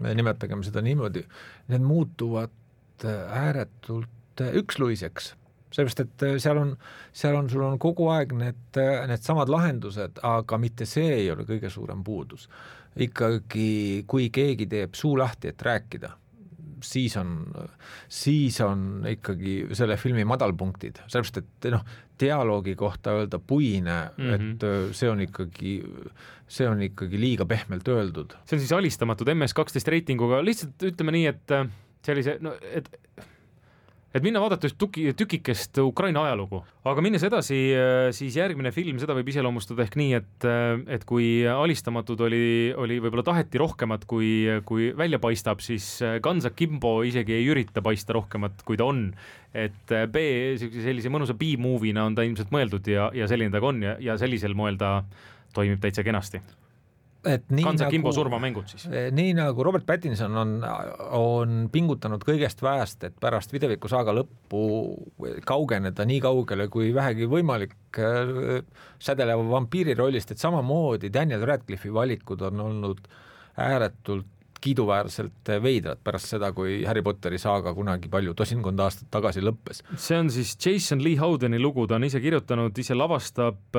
nimetagem seda niimoodi, need muutuvad ääretult üksluiseks, sellepärast, et seal on, seal on, sul on kogu aeg need, need samad lahendused, aga mitte see ei ole kõige suurem puudus. Ikkagi, kui keegi teeb suu lahti, et rääkida, siis on, siis on ikkagi selle filmi madalpunktid, sellepärast, et noh, dialoogi kohta öelda puine, mm-hmm. et see on ikkagi, see on ikkagi liiga pehmelt öeldud. See on siis alistamatud M S kaksteist reitinguga, lihtsalt ütleme nii, et sellise, no, et, et minna vaadata just tuki, tükikest Ukraina ajalugu. Aga minnes edasi, siis järgmine film, seda võib iseloomustada ehk nii, et, et kui alistamatud oli, oli võib-olla taheti rohkemat, kui, kui välja paistab, siis Guns Akimbo isegi ei ürita paista rohkemat, kui ta on. Et B, sellise mõnusa B-movina on ta ilmselt mõeldud ja, ja selline ta on ja, ja sellisel moel ta toimib täitsa kenasti. Guns Akimbo surmamängud siis. Nii nagu Robert Pattinson on, on pingutanud kõigest väest, et pärast videviku saaga lõppu kaugeneda nii kaugele kui vähegi võimalik sädeleva vampiiri rollist, et samamoodi Daniel Radcliffe'i valikud on olnud ääretult kiiduväärselt veidrad pärast seda, kui Harry Potteri saaga kunagi palju tosinkond aastat tagasi lõppes. See on siis Jason Lee Howdeni lugu, ta on ise kirjutanud, ise lavastab,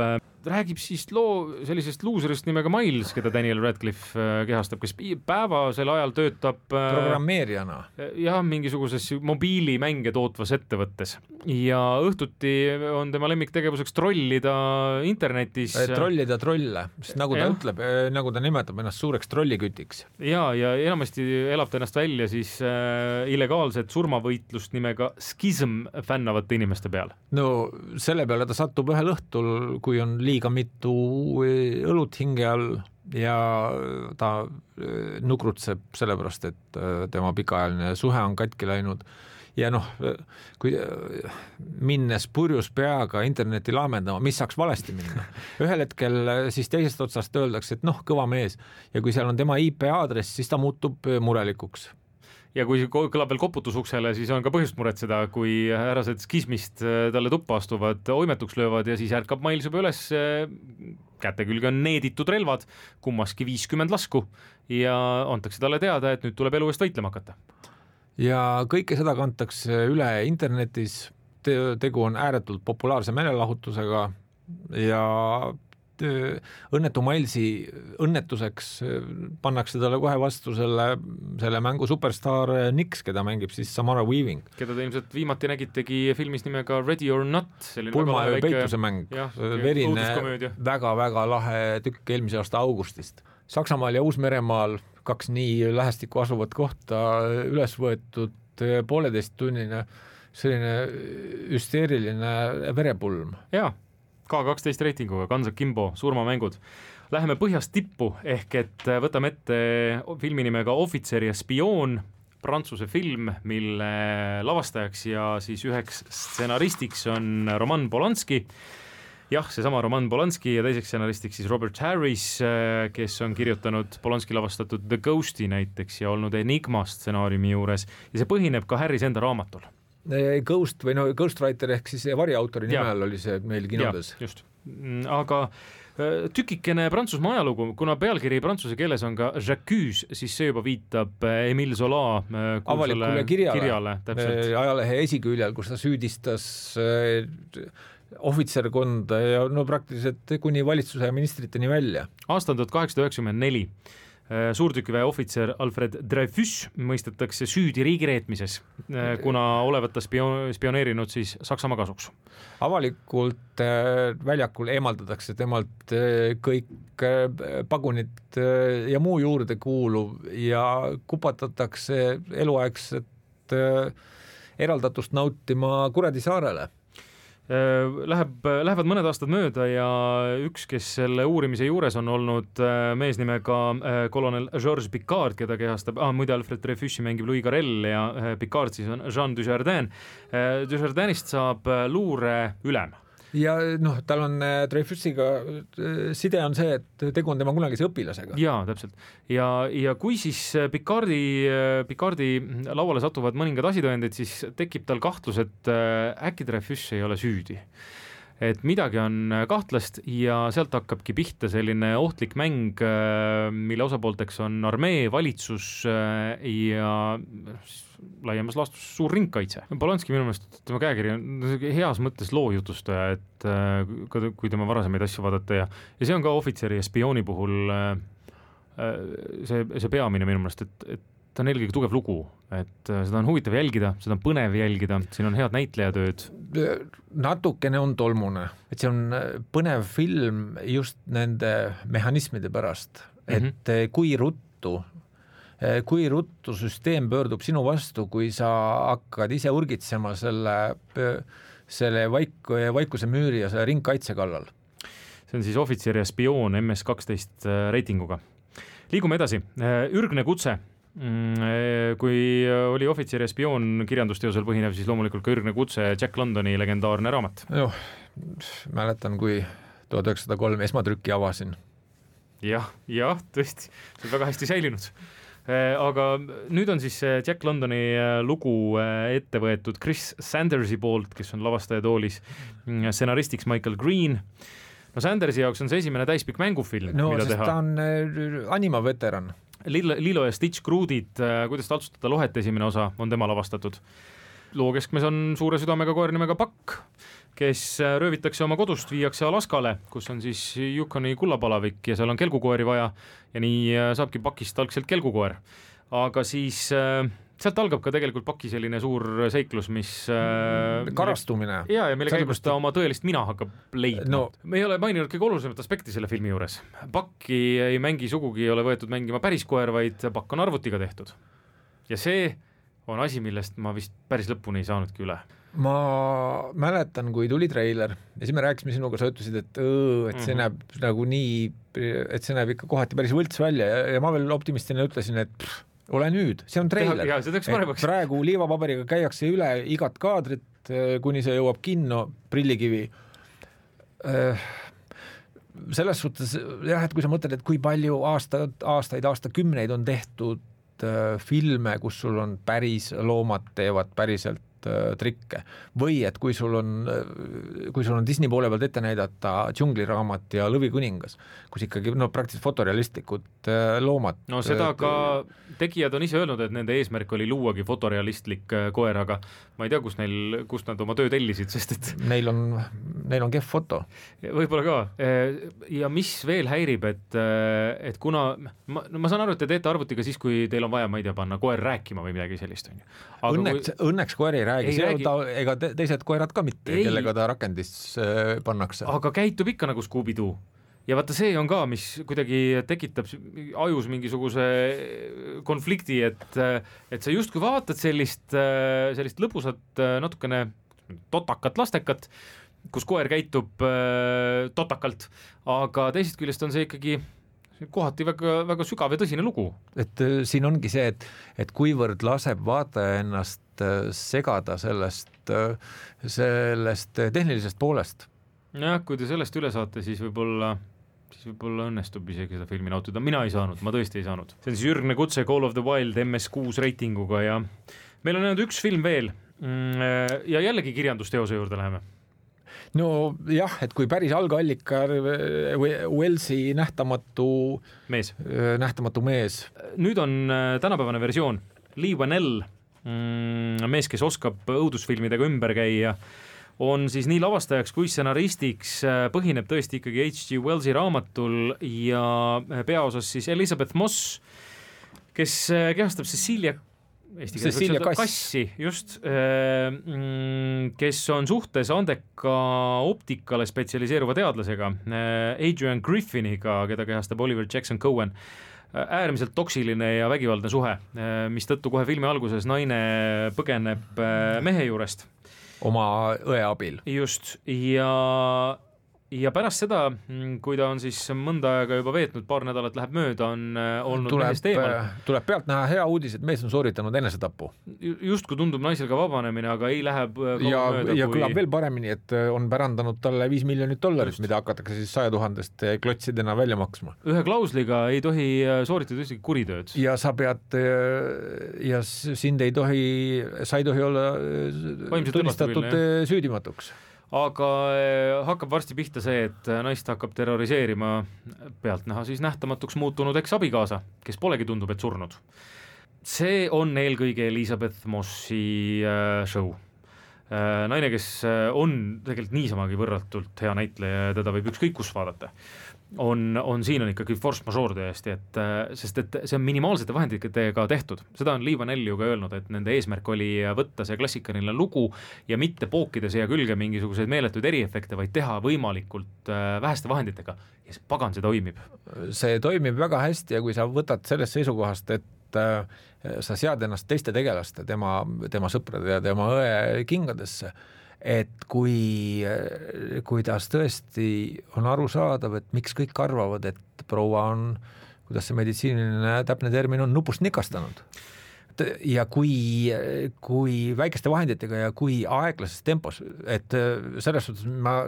räägib siis loo sellisest luuserist nimega Miles, keda Daniel Radcliffe kehastab, kes päevasel ajal töötab programmeerijana. Jah, mingisuguses mobiilimänge tootvas ettevõttes ja õhtuti on tema lemmiktegevuseks trollida internetis. Trollida trolle, sest nagu ta ja. ütleb, nagu ta nimetab ennast suureks trollikütiks. Ja, ja enamasti elab ta ennast välja siis äh, illegaalset surmavõitlust nimega Schism fännavate inimeste peal. No selle peale ta satub ühel õhtul, kui on liiga mitu õlut hinge all ja ta nukrutseb sellepärast, et tema pikaajaline suhe on katki läinud ja noh, kui minnes purjus peaga interneti laamendama, mis saaks valesti minna. Ühel hetkel siis teisest otsast öeldakse, et noh, kõva mees ja kui seal on tema I P aadress, siis ta muutub murelikuks. Ja kui kõlab veel koputusuksele, siis on ka põhjust muretseda, kui härrased skismist talle tuppa astuvad, oimetuks löövad ja siis ärkab Miles juba üles, käte külge on needitud relvad, kummaski viiskümmend lasku ja antakse talle teada, et nüüd tuleb elu eest võitlema hakata. Ja kõike seda kantakse üle internetis, tegu on ääretult populaarse meelelahutusega ja õnnetu Milesi õnnetuseks pannakse talle kohe vastu selle, selle mängu superstaar Nix, keda mängib siis Samara Weaving. Keda te ilmselt viimati nägitegi filmis nimega Ready or Not. Pulmaöö peituse mäng, verine, väga-väga lahe tükk eelmise aasta augustist. Saksamaal ja Uus-Meremaal kaks nii lähestikku asuvat kohta üles võetud pooleteist tunnine selline hüsteeriline verepulm. Jaa, K kaksteist reitinguga, Guns Akimbo, surmamängud. Läheme põhjast tippu, ehk et võtame ette filmi nimega Ohvitser ja spioon, Prantsuse film, mille lavastajaks ja siis üheks stsenaristiks on Roman Polanski. Jah, seesama Roman Polanski ja teiseks stsenaristiks siis Robert Harris, kes on kirjutanud Polanski lavastatud The Ghosti näiteks ja olnud Enigma stsenaariumi juures ja see põhineb ka Harris enda raamatul. Ghost või no Ghostwriter ehk siis variautori nimel oli see meil kinodes. Ja, just. Aga tükikene Prantsusmaa ajalugu, kuna pealkiri prantsuse keeles on ka J'accuse, siis see juba viitab Emile Zola avalikule kirjale, kirjale ajalehe esiküljel, kus ta süüdistas ohvitserkonda ja no praktiliselt kuni valitsuse ja ministriteni välja. Aasta on tuhat kaheksasada üheksakümmend neli. Suurtükiväe ohvitser Alfred Dreyfus mõistetakse süüdi riigireetmises, kuna olevat ta spio- spioneerinud siis Saksamaa kasuks. Avalikult väljakul eemaldatakse temalt kõik pagunid ja muu juurde kuuluv ja kupatatakse eluaegset eraldatust nautima Kuredi saarele. Läheb, lähevad mõned aastad mööda ja üks, kes selle uurimise juures on olnud mees nimega kolonel Georges Picard, keda kehastab, ah, muide Alfred Dreyfusi mängib Louis Garrel ja Picard siis on Jean Dujardin. Dujardinist saab luure ülem. Ja noh, tal on Dreyfusiga side on see, et tegu on tema kunagise õpilasega. Jaa, täpselt. Ja, ja kui siis Picardi, Picardi lauale satuvad mõningad asitõendid, siis tekib tal kahtlus, et äkki Dreyfus ei ole süüdi. Et midagi on kahtlast ja sealt hakkabki pihta selline ohtlik mäng, mille osapoolteks on armee, valitsus ja laiemas laastus suur ringkaitse. Polanski minu meelest tema käekiri on heas mõttes loojutustaja, et kui tema varasemaid asju vaadata ja, ja see on ka ohvitseri ja spiooni puhul see, see peamine minu meelest, et, et ta on eelkõige tugev lugu, et seda on huvitav jälgida, seda on põnev jälgida, siin on head näitlejatööd. Natukene on tolmune, et see on põnev film just nende mehhanismide pärast, et mm-hmm. kui ruttu kui ruttu süsteem pöördub sinu vastu, kui sa hakkad ise urgitsema selle, selle vaik, vaikuse müüri ja selle ringkaitse kallal. See on siis ohvitser ja spioon M S kaksteist reitinguga. Liigume edasi. Ürgne kutse. Kui oli ohvitser ja spioon kirjandusteosel põhinev, siis loomulikult ka Ürgne kutse, Jack Londoni legendaarne raamat. Juh, mäletan, kui tuhat üheksasada kolm esmatrükki avasin. Jah, jah, tõesti, see on väga hästi säilinud. Aga nüüd on siis Jack Londoni lugu ette võetud Chris Sandersi poolt, kes on lavastaja toolis, stsenaristiks Michael Green. No Sandersi jaoks on see esimene täispikk mängufilm, no, mida teha. No, sest ta on anima veteran. Lilo, Lilo ja Stitch Crude'id, kuidas taltsutada lohet esimene osa, on tema lavastatud. Loo keskmes on suure südamega koer nimega Pakk, kes röövitakse oma kodust, viiakse Alaskale, kus on siis Yukoni kullapalavik ja seal on kelgukoeri vaja ja nii saabki Pakist algselt kelgukoer. Aga siis sealt algab ka tegelikult Paki selline suur seiklus, mis karastumine. Ja, ja mille käigus ta oma tõelist mina hakkab leidma. No. Me ei ole maininud kõige olulisemat aspekti selle filmi juures. Pakki ei mängi sugugi, ei ole võetud mängima päris koer, vaid Pakk on arvutiga tehtud. Ja see on asi, millest ma vist päris lõpuni ei saanudki üle. Ma mäletan, kui tuli treiler ja siis me rääkisime sinuga, sa ütlesid, et, õõ, et see näeb mm-hmm. nagu nii, et see näeb ikka kohati päris võlts välja ja, ja ma veel optimistina ütlesin, et pff, ole nüüd, see on treiler. Ja, see et praegu liivapaberiga käiakse üle igat kaadrit, kuni see jõuab kinno, prillikivi. Selles suhtes, jah, et kui sa mõtled, et kui palju aasta, aastaid, aastakümneid on tehtud filme, kus sul on päris loomad teevad päriselt trikke või et kui sul on kui sul on Disney poole pealt ette näidata Džungliraamat ja Lõvikuningas, kus ikkagi no praktiliselt fotorealistlikud loomad. No seda ka tegijad on ise öelnud, et nende eesmärk oli luuagi fotorealistlik koer, aga ma ei tea, kus neil, kus nad oma töö tellisid, sest et neil on, neil on kehv foto. Võib-olla ka. Ja mis veel häirib, et, et kuna ma, no ma saan aru, et te teete arvutiga siis, kui teil on vaja, ma ei tea, panna koer rääkima või midagi sellist. Aga õnneks, kui... õnneks koer ei räägi, ei räägi. Ta, ega teised koerad ka mitte, ei. Kellega ta rakendis pannakse. Aga käitub ikka nagu Scooby-Doo. ja vaata, see on ka, mis kuidagi tekitab ajus mingisuguse konflikti, et, et sa justkui vaatad sellist, sellist lõbusat natukene totakat lastekat, kus koer käitub totakalt, aga teisest küljest on see ikkagi kohati väga, väga sügav ja tõsine lugu. Et siin ongi see, et, et kuivõrd laseb vaataja ennast segada sellest, sellest tehnilisest poolest. Jah, kui te sellest üle saate, siis võib-olla siis võib-olla õnnestub isegi seda filmi nautida. Mina ei saanud, ma tõesti ei saanud. See on siis Jürgne Kutse Call of the Wild M S kuus reitinguga ja meil on jäänud üks film veel ja jällegi kirjandusteose juurde läheme. No jah, et kui päris algallika Wellsi nähtamatu mees. nähtamatu mees. Nüüd on tänapäevane versioon. Lee Whannell, mees, kes oskab õudusfilmidega ümber käia, on siis nii lavastajaks kui stsenaristiks, põhineb tõesti ikkagi H G Wellsi raamatul ja peaosas siis Elizabeth Moss, kes kehastab Cecilia, Eesti Cecilia Kass. Kassi, just, kes on suhtes andeka optikale spetsialiseeruva teadlasega, Adrian Griffiniga, keda kehastab Oliver Jackson Cohen. Äärmiselt toksiline ja vägivaldne suhe, mis tõttu kohe filmi alguses naine põgeneb mehe juurest. Oma õe abil. Just, ja, ja pärast seda, kui ta on siis mõnda aega juba veetnud, paar nädalat läheb mööda, on olnud tuleb, mehest eemal. Tuleb pealt näha hea uudis, et mees on sooritanud enesetapu. Just kui tundub naisel ka vabanemine, aga ei lähe ja, mööda. Ja kui... kõlab veel paremini, et on pärandanud talle viis miljonit dollarit, mida hakatakse siis saja tuhandest klotsidena välja maksma. Ühe klausliga ei tohi sooritada ühtegi kuritööd. Ja sa pead, ja sind ei tohi, sa ei tohi olla tunnistatud süüdimatuks. Aga hakkab varsti pihta see, et naist hakkab terroriseerima pealtnäha siis nähtamatuks muutunud eks-abikaasa, kes polegi tundub, et surnud. See on eelkõige Elizabeth Mossi show. Naine, kes on tegelikult niisamagi võrratult hea näitleja ja teda võib ükskõik kus vaadata, on, on siin on ikkagi force majeure tõesti, et, sest et see on minimaalsete vahenditega tehtud. Seda on Lee Whannell ju ka öelnud, et nende eesmärk oli võtta see klassikaline lugu ja mitte pookida siia külge mingisuguseid meeletuid eriefekte, vaid teha võimalikult väheste vahenditega. Ja see pagan, see toimib. See toimib väga hästi ja kui sa võtad sellest seisukohast, et sa sead ennast teiste tegelaste, tema, tema sõprade ja tema õe kingadesse, et kui, kuidas tõesti on arusaadav, et miks kõik arvavad, et proua on, kuidas see meditsiiniline täpne termin on, nupust nikastanud. Ja kui, kui väikeste vahenditega ja kui aeglases tempos, et selles suhtes ma,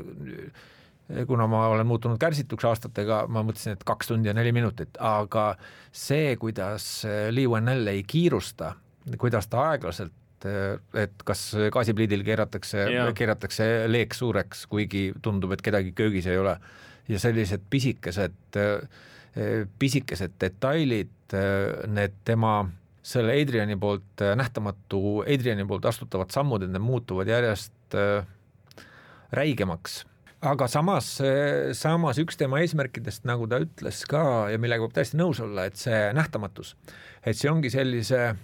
kuna ma olen muutunud kärsituks aastatega, ma mõtlesin, et kaks tundi ja neli minutit, aga see, kuidas Lee Whannell ei kiirusta, kuidas ta aeglaselt, et kas gaasipliidil keeratakse, keeratakse leek suureks, kuigi tundub, et kedagi köögis ei ole. Ja sellised pisikesed, pisikesed detailid, need tema, selle Adriani poolt nähtamatu, Adriani poolt astutavad sammud, need muutuvad järjest räigemaks. Aga samas, samas üks tema eesmärkidest, nagu ta ütles ka ja millega võib täiesti nõus olla, et see nähtamatus, et see ongi sellise äh,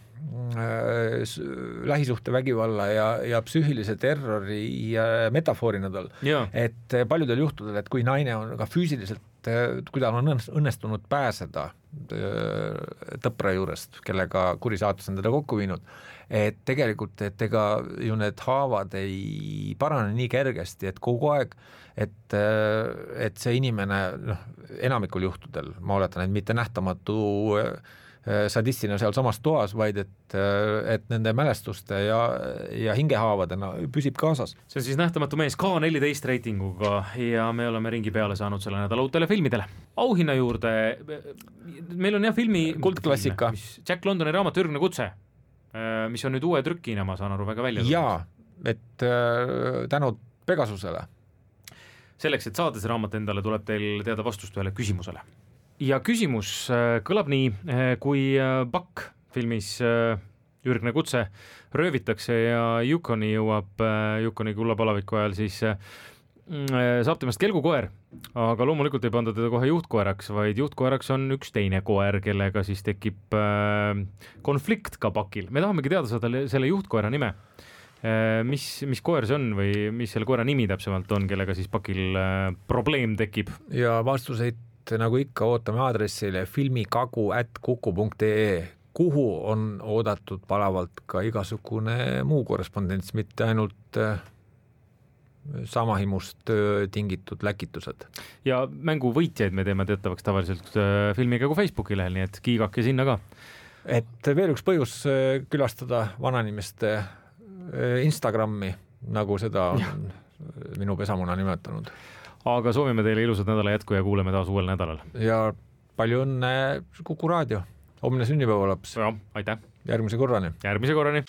lähisuhte vägivalla ja, ja psüühilise terrori ja metafoorina tal, et paljudel juhtudel, et kui naine on ka füüsiliselt, kui ta on õnnestunud pääseda tõpra juurest, kellega kurisaatus on teda kokku viinud, et tegelikult, et ega ju need haavad ei parane nii kergesti, et kogu aeg, et, et see inimene, noh, enamikul juhtudel, ma oletan, et mitte nähtamatu sadistina seal samas toas, vaid et, et nende mälestuste ja, ja hingehaavadena püsib kaasas. See on siis nähtamatu mees K neliteist reitinguga ja me oleme ringi peale saanud selle nädala uutele filmidele. Auhinna juurde, meil on jah filmi kuldklassika. Jack Londoni raamat Ürgne kutse, mis on nüüd uue trükina, ma saan aru, väga välja. Jaa, et tänud Pegasusele. Selleks, et saada see raamat endale, tuleb teil teada vastust ühele küsimusele. Ja küsimus kõlab nii, kui Pakk filmis Ürgne kutse röövitakse ja Yukoni jõuab Yukoni kullapalaviku ajal, siis saab temast kelgukoer, aga loomulikult ei panda teda kohe juhtkoeraks, vaid juhtkoeraks on üks teine koer, kellega siis tekib konflikt ka Pakil. Me tahamegi teada saada selle juhtkoera nime mis, mis koer see on või mis selle koera nimi täpsemalt on, kellega siis pakil probleem tekib? Ja vastuseid nagu ikka ootame aadressile filmikagu at kuku punkt ee, kuhu on oodatud palavalt ka igasugune muu korrespondents, mitte ainult samahimust tingitud läkitused. Ja mängu võitjaid me teeme teatavaks tavaliselt Filmikagu Facebooki lehel, nii et kiigake sinna ka. Et veel üks põhjus külastada vananimeste Instagrami, nagu seda on ja. Minu pesamuna nimetanud. Aga soovime teile ilusat nädala jätku ja kuuleme taas uuel nädalal. Ja palju õnne Kuku Raadio. Homne sünnipäeva laps. Ja, aitäh. Järgmise korrani. Järgmise korrani.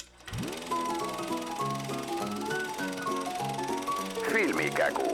Filmikägu.